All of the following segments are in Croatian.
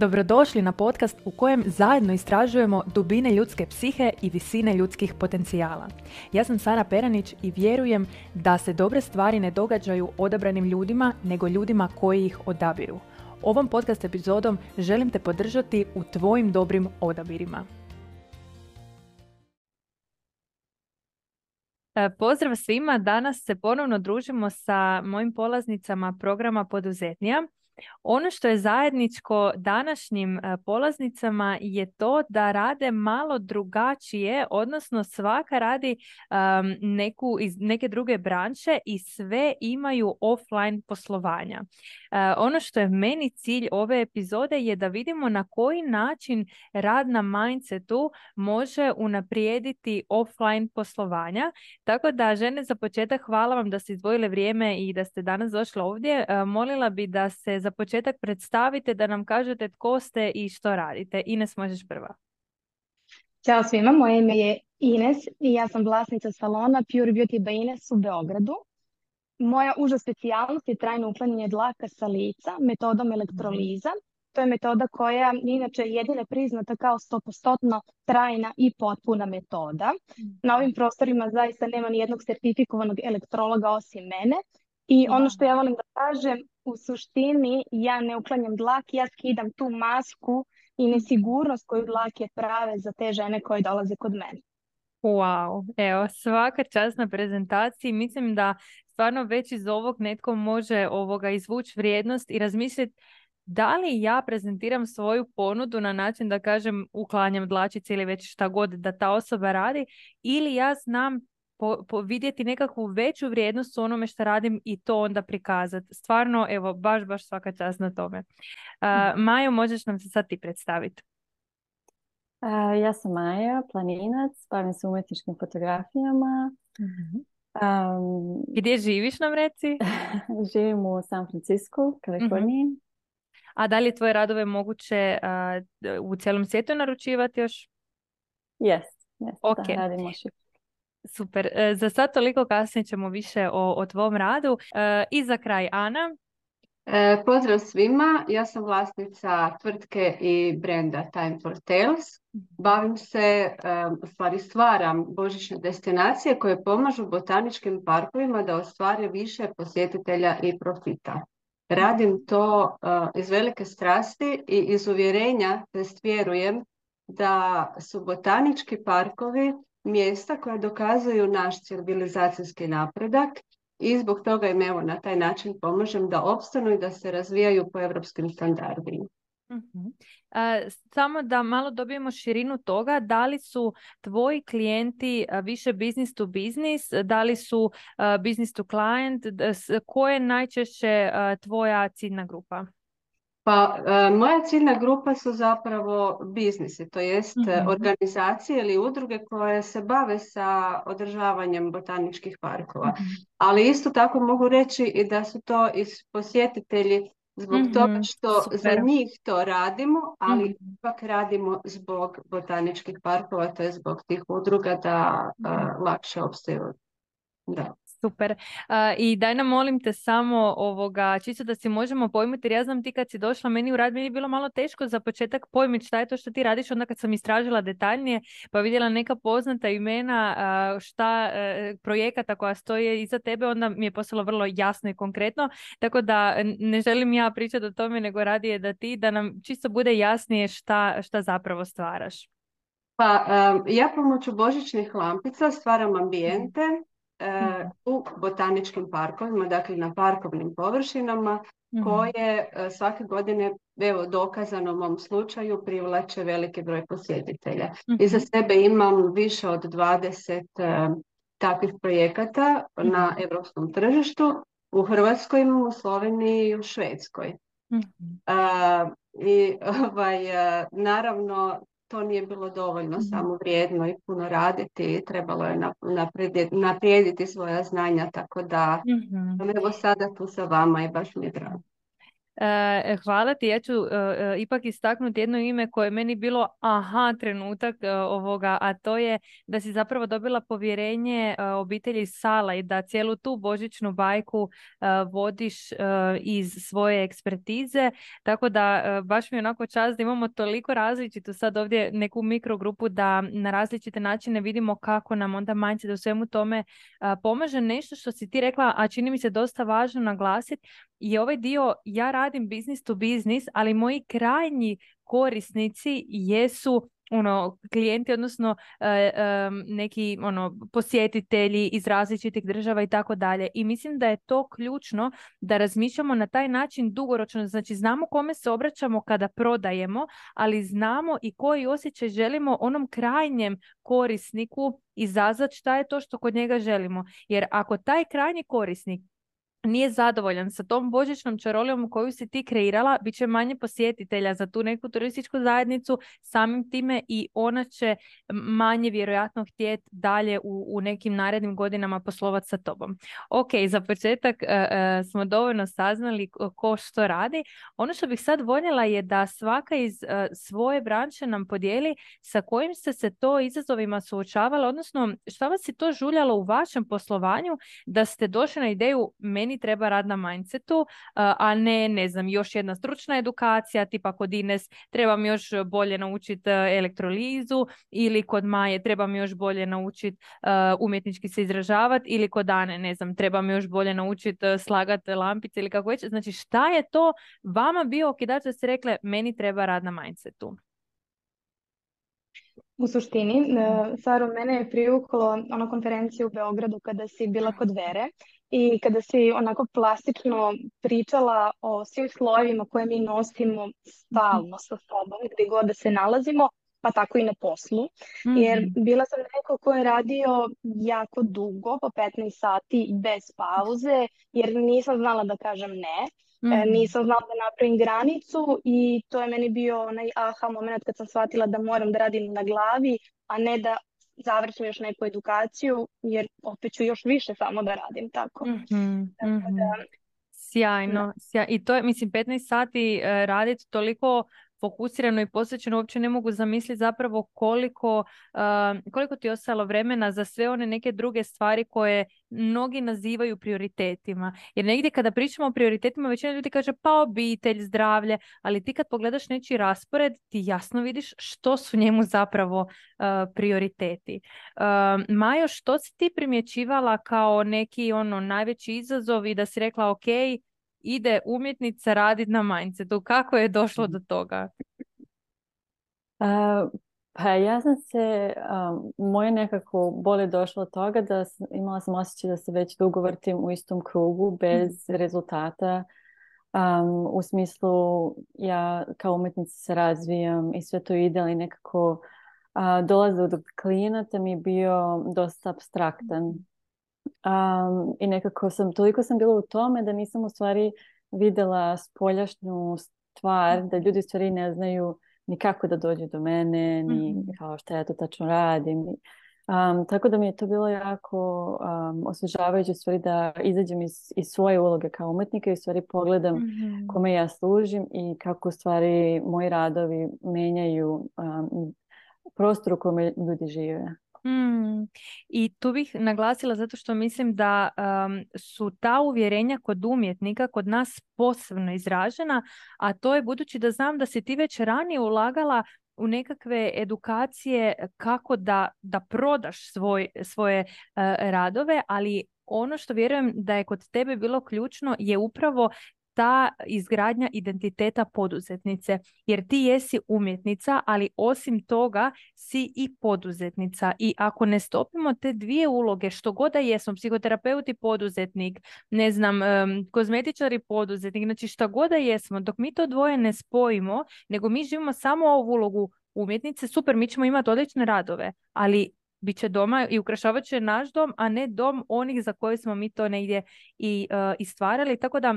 Dobrodošli na podcast u kojem zajedno istražujemo dubine ljudske psihe i visine ljudskih potencijala. Ja sam Sara Peranić i vjerujem da se dobre stvari ne događaju odabranim ljudima, nego ljudima koji ih odabiru. Ovom podcast epizodom želim te podržati u tvojim dobrim odabirima. Pozdrav svima, danas se ponovno družimo sa mojim polaznicama programa Poduzetnija. Ono što je zajedničko današnjim polaznicama je to da rade malo drugačije, odnosno svaka radi iz neke druge branše i sve imaju offline poslovanja. Ono što je meni cilj ove epizode je da vidimo na koji način rad na mindsetu može unaprijediti offline poslovanja. Tako da, žene, za početak hvala vam da ste izdvojile vrijeme i da ste danas došle ovdje. Molila bi da se za početak predstavite, da nam kažete tko ste i što radite. Ines, možeš prva. Ćao svima, moje ime je Ines i ja sam vlasnica salona Pure Beauty by Ines u Beogradu. Moja uža specijalnost je trajno uklanjanje dlaka sa lica metodom elektroliza. To je metoda koja je inače jedina priznata kao 100% trajna i potpuna metoda. Na ovim prostorima zaista nema ni jednog sertifikovanog elektrologa osim mene. I ono što ja volim da kažem, u suštini ja ne uklanjam dlak, ja skidam tu masku i nesigurnost koju dlake prave za te žene koje dolaze kod mene. Wow, evo, svaka čast na prezentaciji. Mislim da stvarno već iz ovog netko može izvući vrijednost i razmisliti da li ja prezentiram svoju ponudu na način da kažem uklanjam dlačice ili već šta god da ta osoba radi, ili ja znam vidjeti nekakvu veću vrijednost u onome što radim i to onda prikazati. Stvarno, evo, baš svaka čast na tome. Majo, možeš nam se sad ti predstaviti? Ja sam Maja, planinac, bavim se umjetničkim fotografijama. Gdje živiš, nam reci? Živim u San Francisco, Kaliforniji. A da li je tvoje radove moguće u cijelom svijetu naručivati još? Yes, okay. Da, radimo še. Super. Za sad toliko, kasnije ćemo više o tvom radu. I za kraj, Ana. Pozdrav svima, ja sam vlasnica tvrtke i brenda Time for Tales. Bavim se, u stvari stvaram božićne destinacije koje pomažu botaničkim parkovima da ostvare više posjetitelja i profita. Radim to iz velike strasti i iz uvjerenja, tj. vjerujem da su botanički parkovi mjesta koje dokazuju naš civilizacijski napredak i zbog toga im evo na taj način pomažem da opstanu i da se razvijaju po europskim standardima. Samo da malo dobijemo širinu toga, da li su tvoji klijenti više business to business, da li su business to client, koja je najčešće tvoja ciljna grupa? Pa, moja ciljna grupa su zapravo biznisi, to jest organizacije ili udruge koje se bave sa održavanjem botaničkih parkova. Ali isto tako mogu reći i da su to i posjetitelji zbog toga što za njih to radimo, ali ipak radimo zbog botaničkih parkova, to je zbog tih udruga da lakše opstaju. Da. Super. I daj nam, molim te, samo čisto da si možemo pojmiti, jer ja znam ti kad si došla meni u rad, meni je bilo malo teško za početak pojmiti šta je to što ti radiš. Onda kad sam istražila detaljnije pa vidjela neka poznata imena, projekata koja stoje iza tebe, onda mi je postalo vrlo jasno i konkretno. Tako da ne želim ja pričati o tome, nego radije da nam čisto bude jasnije šta zapravo stvaraš. Pa, ja pomoću božićnih lampica stvaram ambijente u botaničkim parkovima, dakle na parkovnim površinama koje svake godine, evo dokazano u mom slučaju, privlače veliki broj posjetitelja. Iza sebe imam više od 20 takvih projekata na europskom tržištu, u Hrvatskoj, u Sloveniji i u Švedskoj. Naravno, to nije bilo dovoljno samo vrijedno i puno raditi, trebalo je naprijediti svoja znanja, tako da evo sada tu sa vama i baš mi je drago. Hvala ti. Ja ću ipak istaknuti jedno ime koje je meni bilo aha trenutak ovoga, a to je da si zapravo dobila povjerenje obitelji Sala i da cijelu tu božićnu bajku vodiš iz svoje ekspertize. Tako da baš mi je onako čast da imamo toliko različitu sad ovdje neku mikrogrupu da na različite načine vidimo kako nam onda mindset u svemu tome pomaže. Nešto što si ti rekla, a čini mi se dosta važno naglasiti, i ovaj dio, ja radim business to business, ali moji krajnji korisnici jesu klijenti, odnosno neki posjetitelji iz različitih država i tako dalje. I mislim da je to ključno da razmišljamo na taj način dugoročno. Znači znamo kome se obraćamo kada prodajemo, ali znamo i koji osjećaj želimo onom krajnjem korisniku izazvati, šta je to što kod njega želimo. Jer ako taj krajnji korisnik nije zadovoljan sa tom božićnom čarolijom koju si ti kreirala, bit će manje posjetitelja za tu neku turističku zajednicu, samim time i ona će manje vjerojatno htjeti dalje u nekim narednim godinama poslovati sa tobom. Ok, za početak smo dovoljno saznali ko što radi. Ono što bih sad voljela je da svaka iz svoje branše nam podijeli sa kojim ste se to izazovima suočavala, odnosno šta vas je to žuljalo u vašem poslovanju da ste došli na ideju meni treba rad na mindsetu, a ne znam, još jedna stručna edukacija, tipa kod Ines trebam još bolje naučiti elektrolizu, ili kod Maje trebam još bolje naučiti umjetnički se izražavati, ili kod Ane, ne znam, trebam još bolje naučiti slagati lampice ili kako već. Znači šta je to vama bio okidač da ste rekle meni treba rad na mindsetu? U suštini, Saro, mene je privuklo ona konferencija u Beogradu kada si bila kod Vere i kada si onako plastično pričala o svim slojevima koje mi nosimo stalno sa sobom, gdje god da se nalazimo, pa tako i na poslu. Jer bila sam neko ko je radio jako dugo, po 15 sati bez pauze, jer nisam znala da kažem ne. Nisam znala da napravim granicu i to je meni bio onaj aha moment kad sam shvatila da moram da radim na glavi, a ne da završim još neku edukaciju, jer opet ću još više samo da radim tako. Tako da, sjajno. I to je, mislim, 15 sati raditi toliko fokusirano i posvećeno, uopće ne mogu zamisliti zapravo koliko ti je ostalo vremena za sve one neke druge stvari koje mnogi nazivaju prioritetima. Jer negdje kada pričamo o prioritetima, većina ljudi kaže pa obitelj, zdravlje, ali ti kad pogledaš nečiji raspored, ti jasno vidiš što su njemu zapravo prioriteti. Majo, što si ti primjećivala kao neki najveći izazov i da si rekla ok, ide umjetnica raditi na mindsetu? Kako je došlo do toga? Pa ja sam se, moje nekako bolje došlo od toga da imala sam osjećaj da se već dugo vrtim u istom krugu bez rezultata. U smislu ja kao umjetnica se razvijam i sve to ide, ali nekako dolazak do klijenata mi je bio dosta apstraktan. I nekako toliko sam bila u tome da nisam u stvari vidjela spoljašnju stvar, da ljudi u stvari ne znaju ni kako da dođu do mene, ni kao šta ja to tačno radim. Tako da mi je to bilo jako osvježavajuće stvari da izađem iz svoje uloge kao umjetnika i u stvari pogledam kome ja služim i kako u stvari moji radovi menjaju prostor u kome ljudi žive. I tu bih naglasila zato što mislim da su ta uvjerenja kod umjetnika kod nas posebno izražena, a to je budući da znam da si ti već ranije ulagala u nekakve edukacije kako da prodaš svoje radove, ali ono što vjerujem da je kod tebe bilo ključno je upravo ta izgradnja identiteta poduzetnice, jer ti jesi umjetnica, ali osim toga si i poduzetnica. I ako ne stopimo te dvije uloge, što god da jesmo, psihoterapeut i poduzetnik, ne znam, kozmetičar i poduzetnik, znači šta god da jesmo, dok mi to dvoje ne spojimo, nego mi živimo samo ovu ulogu umjetnice, super, mi ćemo imati odlične radove, ali bit će doma i ukrašavat će naš dom, a ne dom onih za koje smo mi to negdje i stvarali. Tako da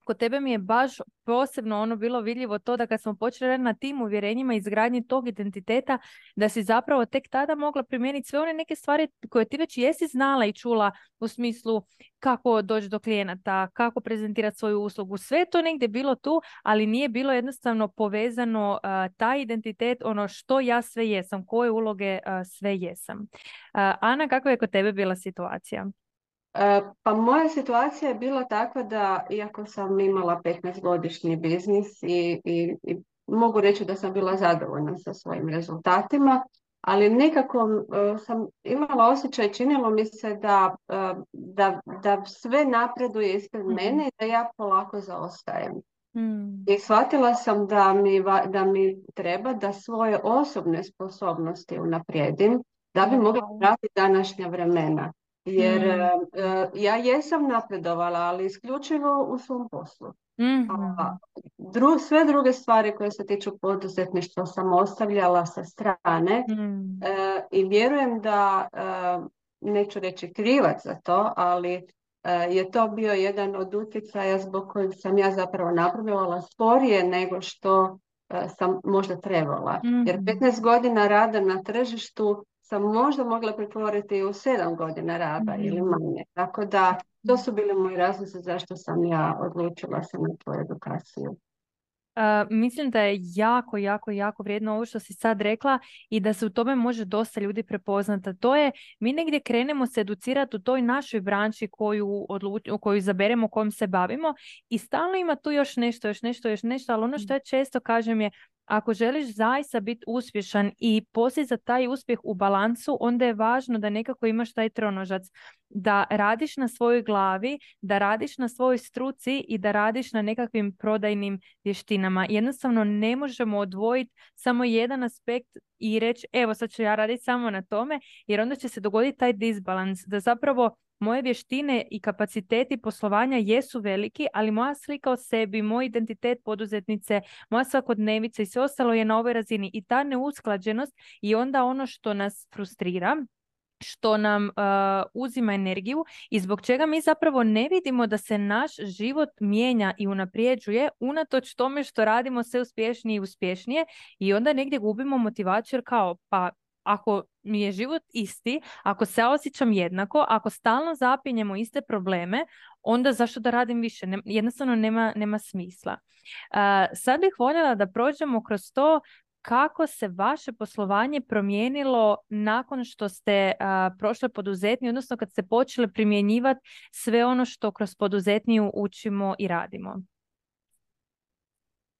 kod tebe mi je baš posebno ono bilo vidljivo to da kad smo počeli raditi na tim uvjerenjima i izgradnji tog identiteta, da si zapravo tek tada mogla primijeniti sve one neke stvari koje ti već jesi znala i čula u smislu kako doći do klijenata, kako prezentirati svoju uslugu. Sve je to negdje bilo tu, ali nije bilo jednostavno povezano taj identitet, ono što ja sve jesam, koje uloge sve jesam. Ana, kakva je kod tebe bila situacija? Pa moja situacija je bila takva da, iako sam imala 15-godišnji biznis i mogu reći da sam bila zadovoljna sa svojim rezultatima, ali nekako sam imala osjećaj, činilo mi se da sve napreduje ispred mene i da ja polako zaostajem. I shvatila sam da mi treba da svoje osobne sposobnosti unaprijedim da bi mogla pratiti današnja vremena. Jer ja jesam napredovala, ali isključivo u svom poslu. Sve druge stvari koje se tiču poduzetništva sam ostavljala sa strane i vjerujem da, neću reći krivac za to, ali je to bio jedan od utjecaja zbog kojeg sam ja zapravo napredovala sporije nego što sam možda trebala. Jer 15 godina rada na tržištu sam možda mogla pretvoriti u 7 godina rada ili manje. Tako da to su bili moji razlozi zašto sam ja odlučila se na tu edukaciju. Mislim da je jako vrijedno ovo što si sad rekla i da se u tome može dosta ljudi prepoznati. To je, mi negdje krenemo se educirati u toj našoj branši koju izaberemo, kojom se bavimo i stalno ima tu još nešto, ali ono što ja često kažem je, ako želiš zaista biti uspješan i postizati taj uspjeh u balansu, onda je važno da nekako imaš taj tronožac, da radiš na svojoj glavi, da radiš na svojoj struci i da radiš na nekakvim prodajnim vještinama. Jednostavno ne možemo odvojiti samo jedan aspekt i reći evo sad ću ja raditi samo na tome, jer onda će se dogoditi taj disbalans, da zapravo moje vještine i kapaciteti poslovanja jesu veliki, ali moja slika o sebi, moj identitet poduzetnice, moja svakodnevica i sve ostalo je na ovoj razini. I ta neusklađenost i onda ono što nas frustrira, što nam uzima energiju i zbog čega mi zapravo ne vidimo da se naš život mijenja i unaprijeđuje unatoč tome što radimo sve uspješnije i uspješnije i onda negdje gubimo motivaciju jer kao pa ako mi je život isti, ako se osjećam jednako, ako stalno zapinjemo iste probleme, onda zašto da radim više? Jednostavno nema smisla. Sad bih voljela da prođemo kroz to kako se vaše poslovanje promijenilo nakon što ste prošle poduzetniju, odnosno kad ste počeli primjenjivati sve ono što kroz poduzetniju učimo i radimo.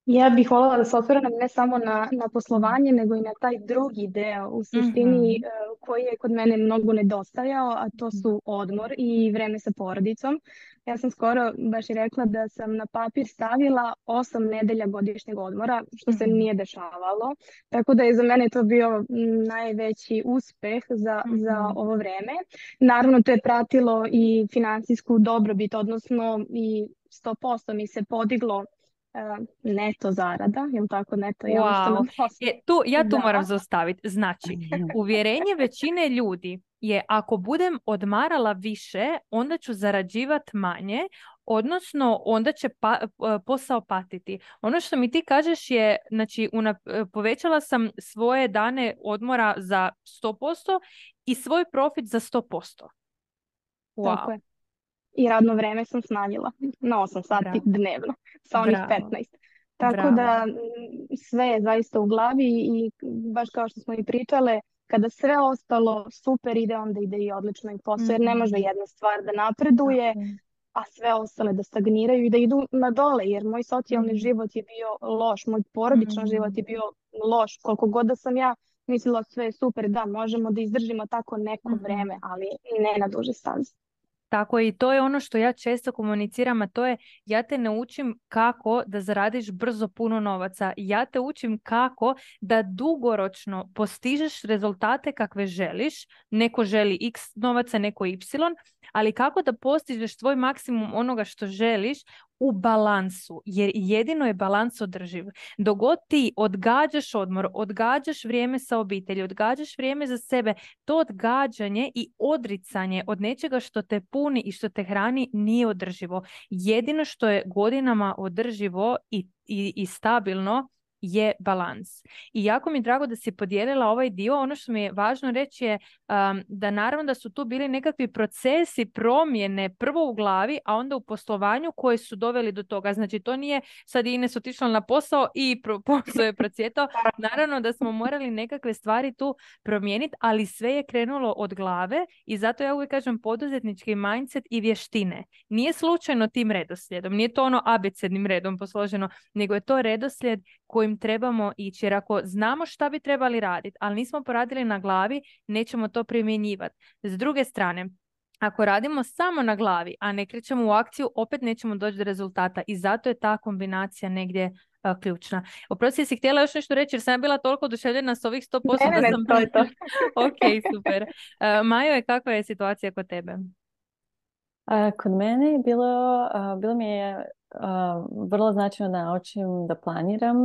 Ja bih voljela da se osvrnem ne samo na poslovanje, nego i na taj drugi deo u suštini koji je kod mene mnogo nedostajao, a to su odmor i vreme sa porodicom. Ja sam skoro baš i rekla da sam na papir stavila 8 nedelja godišnjeg odmora, što se nije dešavalo. Tako da je za mene to bio najveći uspeh za ovo vreme. Naravno, to je pratilo i finansijsku dobrobit, odnosno i 100% mi se podiglo neto zarada, je li tako neto? Ja tu moram zaustaviti. Znači, uvjerenje većine ljudi je ako budem odmarala više, onda ću zarađivati manje, odnosno onda će posao patiti. Ono što mi ti kažeš je, znači, povećala sam svoje dane odmora za 100% i svoj profit za 100%. Wow. Tako je. I radno vreme sam smanjila na 8 sati dnevno, sa onih 15. Tako da sve je zaista u glavi i baš kao što smo i pričale, kada sve ostalo super ide, onda ide i odlično i posao, jer ne može jedna stvar da napreduje, a sve ostale da stagniraju i da idu na dole, jer moj socijalni život je bio loš, moj porodičan život je bio loš, koliko god da sam ja mislila sve je super, da možemo da izdržimo tako neko vreme, ali ne na duže staze. Tako i to je ono što ja često komuniciram, a to je ja te ne učim kako da zaradiš brzo puno novaca. Ja te učim kako da dugoročno postižeš rezultate kakve želiš. Neko želi x novaca, neko y, ali kako da postižeš tvoj maksimum onoga što želiš u balansu, jer jedino je balans održiv. Dok god ti odgađaš odmor, odgađaš vrijeme sa obitelji, odgađaš vrijeme za sebe, to odgađanje i odricanje od nečega što te puni i što te hrani nije održivo. Jedino što je godinama održivo i stabilno je balans. I jako mi je drago da si podijelila ovaj dio. Ono što mi je važno reći je da naravno da su tu bili nekakvi procesi promjene prvo u glavi, a onda u poslovanju koji su doveli do toga. Znači to nije sad Ines otišla na posao i posao je procvjetao. Naravno da smo morali nekakve stvari tu promijeniti, ali sve je krenulo od glave i zato ja uvijek kažem poduzetnički mindset i vještine. Nije slučajno tim redoslijedom, nije to ono abecednim redom posloženo, nego je to redoslijed kojim trebamo ići, jer ako znamo šta bi trebali raditi, ali nismo poradili na glavi, nećemo to primjenjivati. S druge strane, ako radimo samo na glavi, a ne krećemo u akciju, opet nećemo doći do rezultata i zato je ta kombinacija negdje ključna. Oprosti, jesi htjela još nešto reći, jer sam ja bila toliko oduševljena s ovih 100% Ne, to je to. Ok, super. Majo, kakva je situacija kod tebe? Kod mene je bilo mi je vrlo značajno da naučim da planiram.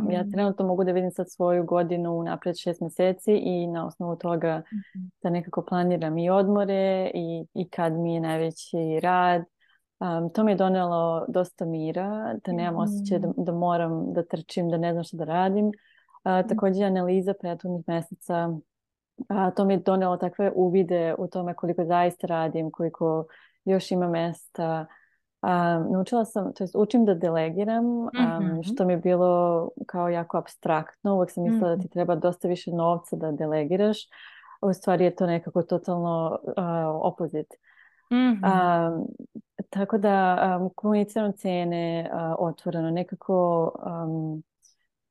Ja trenutno mogu da vidim sad svoju godinu napred 6 mjeseci i na osnovu toga da nekako planiram i odmore i kad mi je najveći rad. To mi je donelo dosta mira, da nemam osjećaj da moram da trčim, da ne znam što da radim. Također analiza prethodnih mjeseca, to mi je donelo takve uvide u tome koliko zaista radim, koliko još ima mjesta. Naučila sam, to jest učim da delegiram, što mi je bilo kao jako apstraktno. Uvijek sam mislila da ti treba dosta više novca da delegiraš. U stvari je to nekako totalno opozit. Tako da komuniciram cijene otvoreno.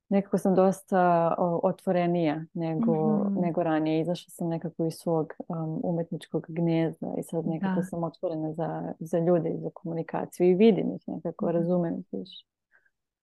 Nekako sam dosta otvorenija nego ranije. Izašla sam nekako iz svog umjetničkog gnijezda i sad nekako sam otvorena za ljude i za komunikaciju i vidim ih nekako, razumem ih više.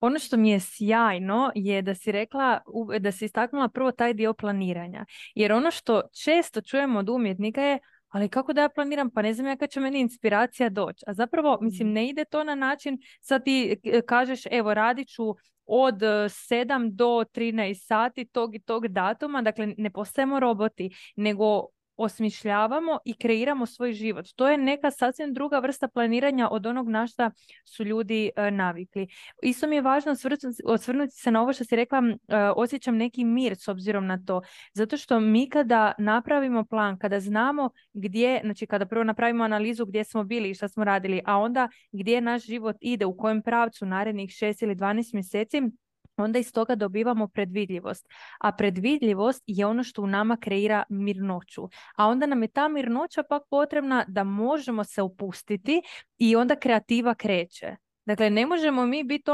Ono što mi je sjajno je da si rekla, da si istaknula prvo taj dio planiranja. Jer ono što često čujemo od umjetnika je ali kako da ja planiram, pa ne znam ja kad će meni inspiracija doći. A zapravo, mislim, ne ide to na način, sad ti kažeš, evo, radit ću od 7 do 13 sati tog i tog datuma, dakle ne postajemo roboti, nego osmišljavamo i kreiramo svoj život. To je neka sasvim druga vrsta planiranja od onog na šta su ljudi navikli. Isto mi je važno osvrnuti se na ovo što si rekla, osjećam neki mir s obzirom na to. Zato što mi kada napravimo plan, kada znamo gdje, znači kada prvo napravimo analizu gdje smo bili i šta smo radili, a onda gdje naš život ide, u kojem pravcu narednih 6 ili 12 mjeseci, onda iz toga dobivamo predvidljivost. A predvidljivost je ono što u nama kreira mirnoću. A onda nam je ta mirnoća pak potrebna da možemo se opustiti i onda kreativa kreće. Dakle, ne možemo mi biti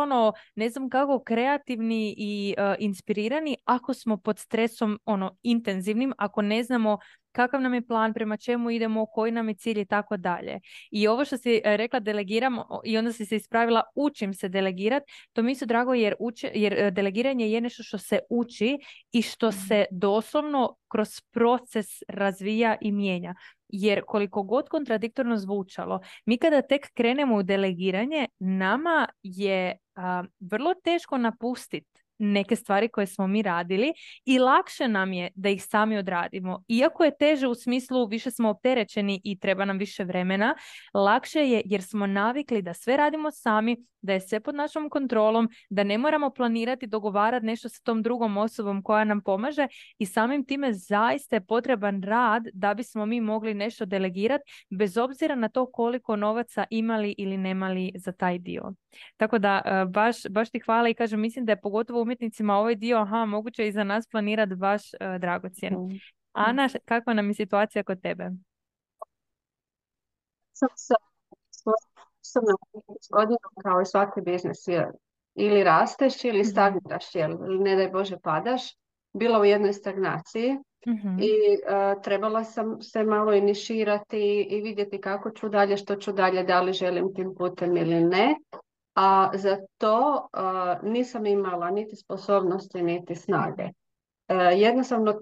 ne znam kako, kreativni i inspirirani ako smo pod stresom intenzivnim, ako ne znamo kakav nam je plan, prema čemu idemo, koji nam je cilj i tako dalje. I ovo što si rekla delegiramo i onda si se ispravila učim se delegirati, to mi se drago jer delegiranje je nešto što se uči i što se doslovno kroz proces razvija i mijenja. Jer koliko god kontradiktorno zvučalo, mi kada tek krenemo u delegiranje, nama je vrlo teško napustiti neke stvari koje smo mi radili i lakše nam je da ih sami odradimo. Iako je teže u smislu više smo opterećeni i treba nam više vremena, lakše je jer smo navikli da sve radimo sami, da je sve pod našom kontrolom, da ne moramo planirati, dogovarati nešto sa tom drugom osobom koja nam pomaže i samim time zaista je potreban rad da bismo mi mogli nešto delegirati bez obzira na to koliko novaca imali ili nemali za taj dio. Tako da baš ti hvala i kažem, mislim da je pogotovo umjetnicima ovaj dio moguće i za nas planirati baš dragocjen. Ana, kakva nam je situacija kod tebe? Sam godinu kao i svaki biznis ili rasteš ili stagniraš, ili ne daj Bože padaš, bila u jednoj stagnaciji i trebala sam se malo iniširati i vidjeti kako ću dalje, što ću dalje, da li želim tim putem ili ne. A za to nisam imala niti sposobnosti, niti snage. jednostavno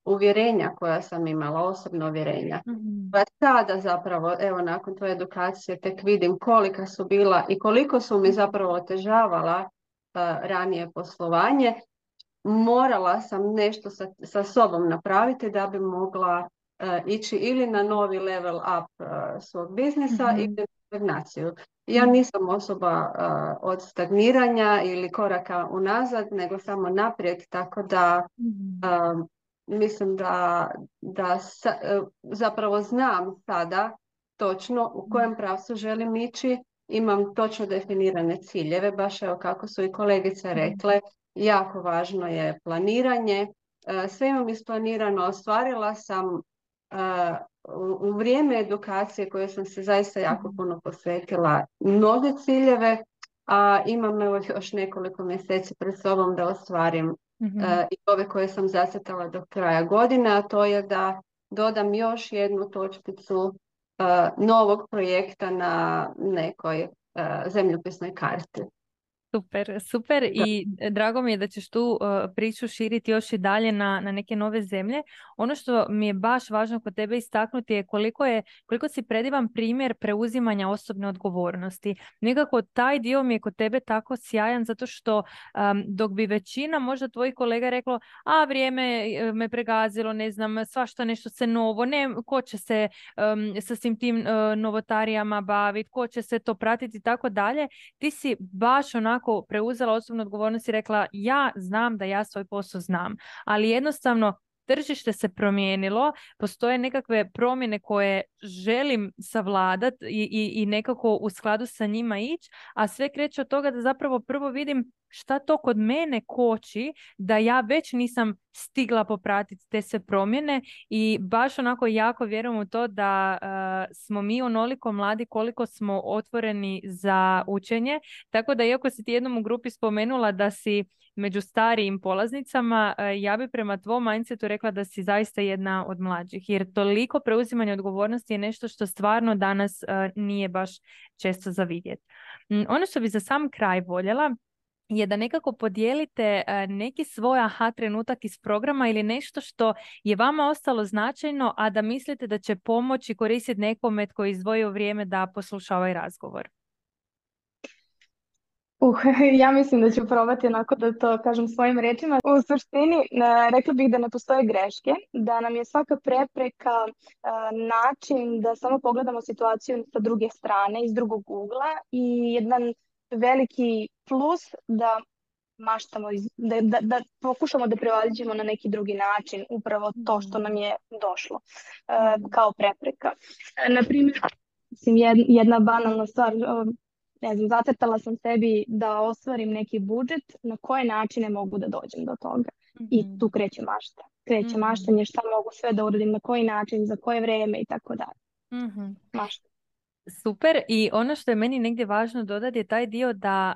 uvjerenja koja sam imala, osobna uvjerenja. Pa sada zapravo, evo nakon tvoje edukacije tek vidim kolika su bila i koliko su mi zapravo otežavala ranije poslovanje. Morala sam nešto sa sobom napraviti da bi mogla ići ili na novi level up svog biznisa ili na stagnaciju. Ja nisam osoba od stagniranja ili koraka unazad, nego samo naprijed, tako da mislim da zapravo znam sada točno u kojem pravcu želim ići, imam točno definirane ciljeve, baš evo kako su i kolegice rekle, jako važno je planiranje, sve imam isplanirano, ostvarila sam u vrijeme edukacije koje sam se zaista jako puno posvetila mnoge ciljeve, a imam evo još nekoliko mjeseci pred sobom da ostvarim i ove koje sam zacrtala do kraja godine, a to je da dodam još jednu točkicu novog projekta na nekoj zemljopisnoj karti. Super, super i drago mi je da ćeš tu priču širiti još i dalje na neke nove zemlje. Ono što mi je baš važno kod tebe istaknuti je koliko si predivan primjer preuzimanja osobne odgovornosti. Nekako taj dio mi je kod tebe tako sjajan zato što dok bi većina možda tvojih kolega reklo vrijeme me pregazilo, ne znam, svašta nešto se novo, ko će se sa svim tim novotarijama baviti, ko će se to pratiti i tako dalje. Ti si baš onako preuzela osobnu odgovornost i rekla ja znam da ja svoj posao znam, ali jednostavno tržište se promijenilo, postoje nekakve promjene koje želim savladati i nekako u skladu sa njima ići, a sve kreće od toga da zapravo prvo vidim šta to kod mene koči da ja već nisam stigla popratiti te sve promjene i baš onako jako vjerujem u to da smo mi onoliko mladi koliko smo otvoreni za učenje, tako da iako si ti jednom u grupi spomenula da si među starijim polaznicama, ja bi prema tvom mindsetu rekla da si zaista jedna od mlađih, jer toliko preuzimanje odgovornosti je nešto što stvarno danas nije baš često za vidjeti. Ono što bi za sam kraj voljela je da nekako podijelite neki svoj aha trenutak iz programa ili nešto što je vama ostalo značajno, a da mislite da će pomoći koristiti nekome tko je izdvojio vrijeme da posluša ovaj razgovor. Ja mislim da ću probati onako da to kažem svojim riječima. U suštini, rekla bih da ne postoje greške, da nam je svaka prepreka način da samo pogledamo situaciju sa druge strane, iz drugog ugla i jedan veliki plus da maštamo, da pokušamo da prevaziđemo na neki drugi način upravo to što nam je došlo kao prepreka. Naprimjer, jedna banalna stvar, ne znam, zacrtala sam sebi da ostvarim neki budžet, na koje načine mogu da dođem do toga. I tu kreće mašta. Kreće maštanje, šta mogu sve da uradim, na koji način, za koje vrijeme i tako dalje. Mašta. Super, i ono što je meni negdje važno dodati je taj dio da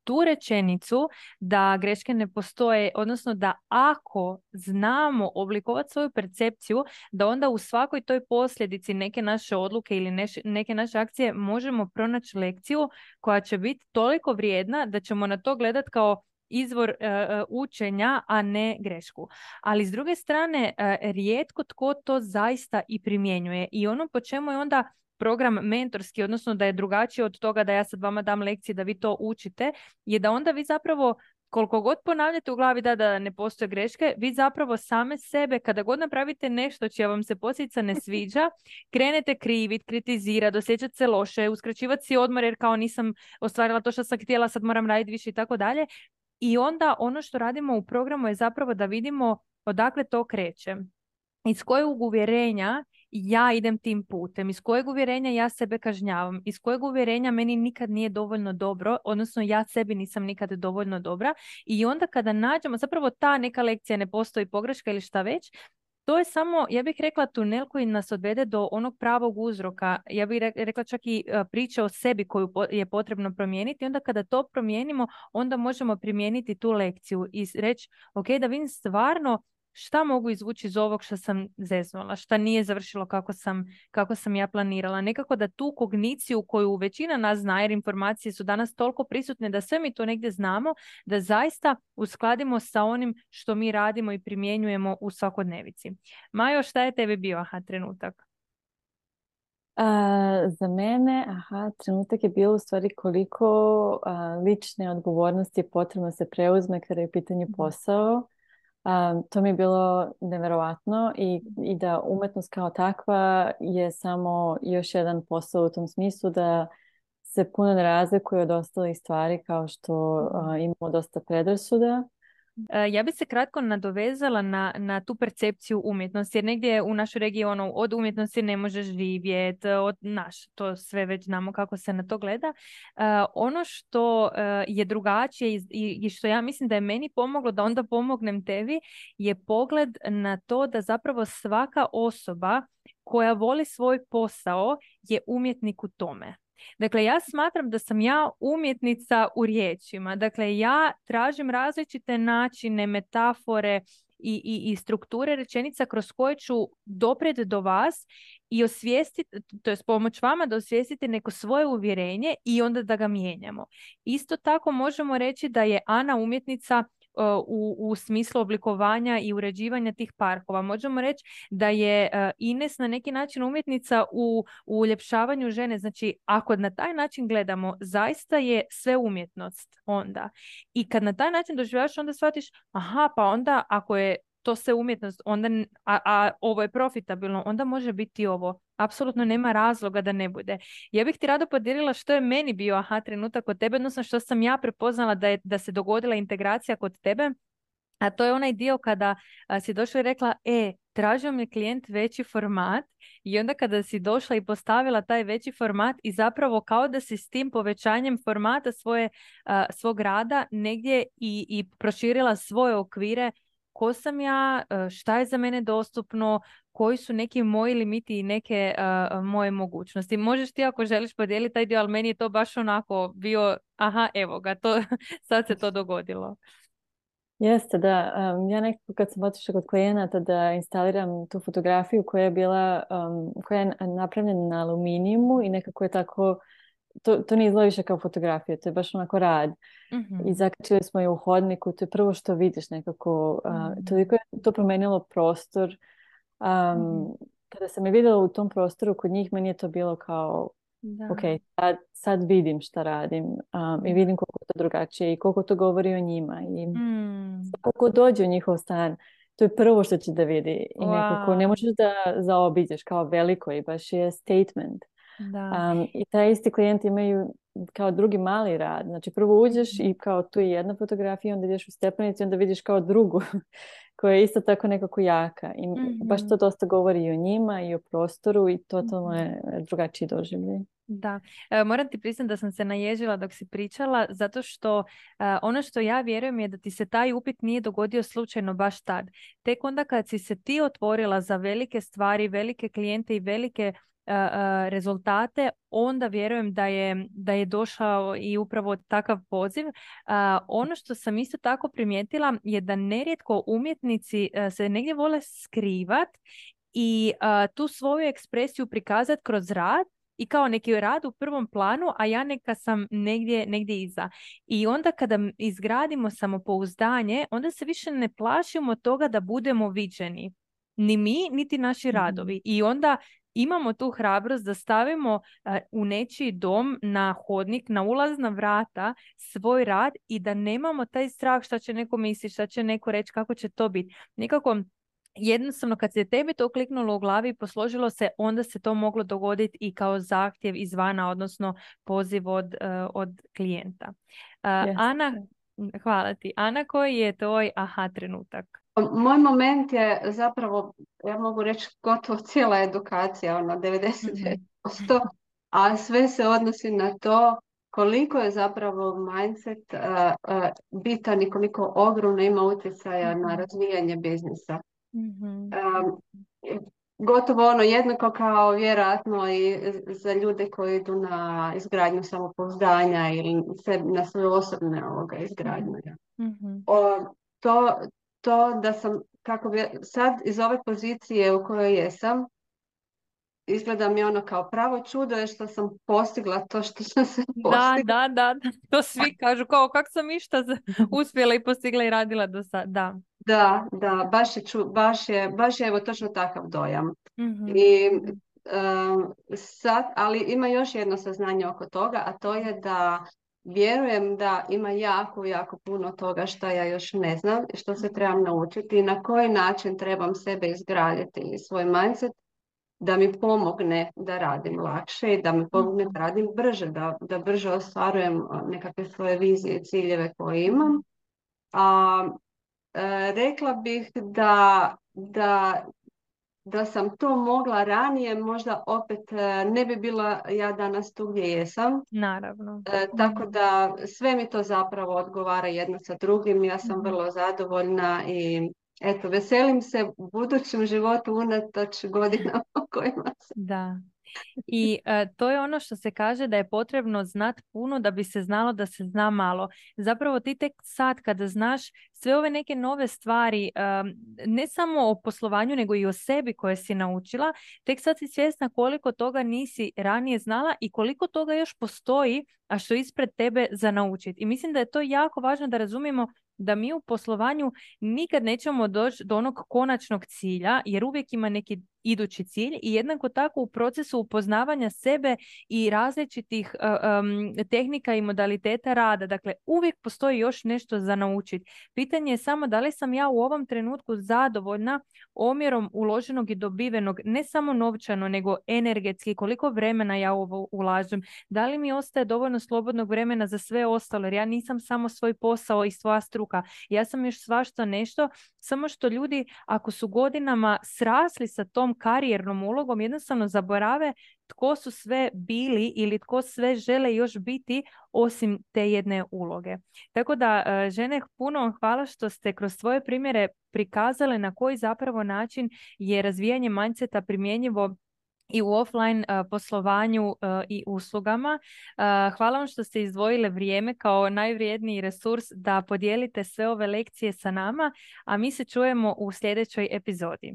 tu rečenicu da greške ne postoje, odnosno da ako znamo oblikovati svoju percepciju, da onda u svakoj toj posljedici neke naše odluke ili neke naše akcije možemo pronaći lekciju koja će biti toliko vrijedna da ćemo na to gledati kao izvor učenja, a ne grešku. Ali s druge strane, rijetko tko to zaista i primjenjuje i ono po čemu je onda program mentorski, odnosno da je drugačije od toga da ja sad vama dam lekcije da vi to učite, je da onda vi zapravo koliko god ponavljate u glavi da ne postoje greške, vi zapravo same sebe, kada god napravite nešto čija vam se posljedica ne sviđa, krenete krivit, kritizirati, osjećati se loše, uskraćivati si odmor jer kao nisam ostvarila to što sam htjela, sad moram raditi više i tako dalje. I onda ono što radimo u programu je zapravo da vidimo odakle to kreće. Iz kojeg uvjerenja ja idem tim putem, iz kojeg uvjerenja ja sebe kažnjavam, iz kojeg uvjerenja meni nikad nije dovoljno dobro, odnosno ja sebi nisam nikad dovoljno dobra i onda kada nađemo, zapravo ta neka lekcija ne postoji pogreška ili šta već, to je samo, ja bih rekla, tunel koji nas odvede do onog pravog uzroka. Ja bih rekla čak i priča o sebi koju je potrebno promijeniti. Onda kada to promijenimo, onda možemo primijeniti tu lekciju i reći, ok, da vidim stvarno šta mogu izvući iz ovog što sam zeznula, šta nije završilo kako sam ja planirala. Nekako da tu kogniciju koju većina nas zna, jer informacije su danas toliko prisutne da sve mi to negdje znamo, da zaista uskladimo sa onim što mi radimo i primjenjujemo u svakodnevici. Majo, šta je tebi bio aha trenutak? Za mene, trenutak je bilo u stvari koliko lične odgovornosti je potrebno se preuzme kada je u pitanju posao. To mi je bilo neverovatno i da umetnost kao takva je samo još jedan posao u tom smislu da se puno ne razlikuje od ostalih stvari kao što imamo dosta predrasuda. Ja bi se kratko nadovezala na tu percepciju umjetnosti, jer negdje u našoj regiji od umjetnosti ne možeš živjeti, to sve već znamo kako se na to gleda. Ono što je drugačije i što ja mislim da je meni pomoglo da onda pomognem tebi je pogled na to da zapravo svaka osoba koja voli svoj posao je umjetnik u tome. Dakle, ja smatram da sam ja umjetnica u riječima. Dakle, ja tražim različite načine, metafore i strukture rečenica kroz koje ću doprijeti do vas i osvijestiti, to je pomoć vama da osvijestite neko svoje uvjerenje i onda da ga mijenjamo. Isto tako možemo reći da je Ana umjetnica u smislu oblikovanja i uređivanja tih parkova. Možemo reći da je Ines na neki način umjetnica u uljepšavanju žene. Znači, ako na taj način gledamo, zaista je sve umjetnost onda. I kad na taj način doživljaš, onda shvatiš, pa onda ako je to sve umjetnost, onda, a ovo je profitabilno, onda može biti ovo. Apsolutno nema razloga da ne bude. Ja bih ti rado podijelila što je meni bio aha trenutak kod tebe, odnosno što sam ja prepoznala da se dogodila integracija kod tebe, a to je onaj dio kada si došla i rekla, tražio mi je klijent veći format i onda kada si došla i postavila taj veći format i zapravo kao da si s tim povećanjem formata svog rada negdje i proširila svoje okvire, ko sam ja, šta je za mene dostupno, koji su neki moji limiti i neke moje mogućnosti. Možeš ti ako želiš podijeliti taj dio, ali meni je to baš onako bio, evo ga, sad se to dogodilo. Jeste, da. Ja nekako kad sam otišla kod klijenata da instaliram tu fotografiju koja je napravljena na aluminijumu i nekako je tako, to ne izgleda više kao fotografija, to je baš onako rad. Mm-hmm. I zakačili smo je u hodniku, to je prvo što vidiš nekako, toliko je to promenilo prostor. Kada sam je vidjela u tom prostoru kod njih, meni je to bilo kao ok, sad vidim šta radim i vidim koliko to drugačije i koliko to govori o njima i koliko dođe u njihov stan, to je prvo što će da vidi i nekako ne možeš da zaobiđeš, kao veliko i baš je statement. I taj isti klijent imaju kao drugi mali rad, znači prvo uđeš i kao tu je jedna fotografija, onda ideš u stepenici, onda vidiš kao drugu koja je isto tako nekako jaka i baš to dosta govori i o njima i o prostoru i totalno je drugačiji doživljaj. Da, moram ti priznati da sam se naježila dok si pričala, zato što ono što ja vjerujem je da ti se taj upit nije dogodio slučajno baš tad. Tek onda kad si se ti otvorila za velike stvari, velike klijente i velike rezultate, onda vjerujem da je došao i upravo takav poziv. Ono što sam isto tako primijetila je da nerijetko umjetnici se negdje vole skrivat i tu svoju ekspresiju prikazati kroz rad i kao neki rad u prvom planu, a ja neka sam negdje iza. I onda kada izgradimo samopouzdanje, onda se više ne plašimo toga da budemo viđeni. Ni mi, niti naši radovi. I onda imamo tu hrabrost da stavimo u nečiji dom, na hodnik, na ulazna vrata svoj rad i da nemamo taj strah šta će neko misliti, šta će neko reći, kako će to biti. Nekako jednostavno kad se tebi to kliknulo u glavi i posložilo se, onda se to moglo dogoditi i kao zahtjev izvana, odnosno poziv od klijenta. Ana, hvala ti. Ana, koji je tvoj aha trenutak? Moj moment je zapravo, ja mogu reći, gotovo cijela edukacija, 99%, a sve se odnosi na to koliko je zapravo mindset bitan i koliko ogromno ima utjecaja na razvijanje biznisa. Gotovo jednako kao vjerojatno i za ljude koji idu na izgradnju samopouzdanja ili na svoje osobne izgradnje. To da sam kako bi sad iz ove pozicije u kojoj jesam, izgleda mi ono kao pravo čudo je što sam postigla to što sam se postigla. Da, to svi kažu, kao kako sam išta uspjela i postigla i radila do sada. Da, baš je evo točno takav dojam. Mm-hmm. I sad, ali ima još jedno saznanje oko toga, a to je da vjerujem da ima jako puno toga što ja još ne znam i što se trebam naučiti i na koji način trebam sebe izgraditi i svoj mindset da mi pomogne da radim lakše i da mi pomogne da radim brže, da brže ostvarujem nekakve svoje vizije i ciljeve koje imam. A rekla bih da sam to mogla ranije, možda opet ne bi bila ja danas tu gdje jesam. Naravno. Tako da sve mi to zapravo odgovara jedno sa drugim. Ja sam vrlo zadovoljna i eto, veselim se budućem životu unatoč godinama o kojima sam. Da. I to je ono što se kaže da je potrebno znati puno da bi se znalo da se zna malo. Zapravo ti tek sad kada znaš sve ove neke nove stvari, ne samo o poslovanju nego i o sebi koje si naučila, tek sad si svjesna koliko toga nisi ranije znala i koliko toga još postoji, a što je ispred tebe za naučiti. I mislim da je to jako važno da razumijemo da mi u poslovanju nikad nećemo doći do onog konačnog cilja, jer uvijek ima neki idući cilj i jednako tako u procesu upoznavanja sebe i različitih tehnika i modaliteta rada. Dakle, uvijek postoji još nešto za naučiti. Pitanje je samo da li sam ja u ovom trenutku zadovoljna omjerom uloženog i dobivenog, ne samo novčano, nego energetski, koliko vremena ja ovo ulažem. Da li mi ostaje dovoljno slobodnog vremena za sve ostalo, jer ja nisam samo svoj posao i svoja struka. Ja sam još svašta nešto, samo što ljudi ako su godinama srasli sa tom karijernom ulogom, jednostavno zaborave tko su sve bili ili tko sve žele još biti osim te jedne uloge. Tako da, žene, puno vam hvala što ste kroz svoje primjere prikazale na koji zapravo način je razvijanje mindseta primjenjivo i u offline poslovanju i uslugama. Hvala vam što ste izdvojile vrijeme kao najvrijedniji resurs da podijelite sve ove lekcije sa nama, a mi se čujemo u sljedećoj epizodi.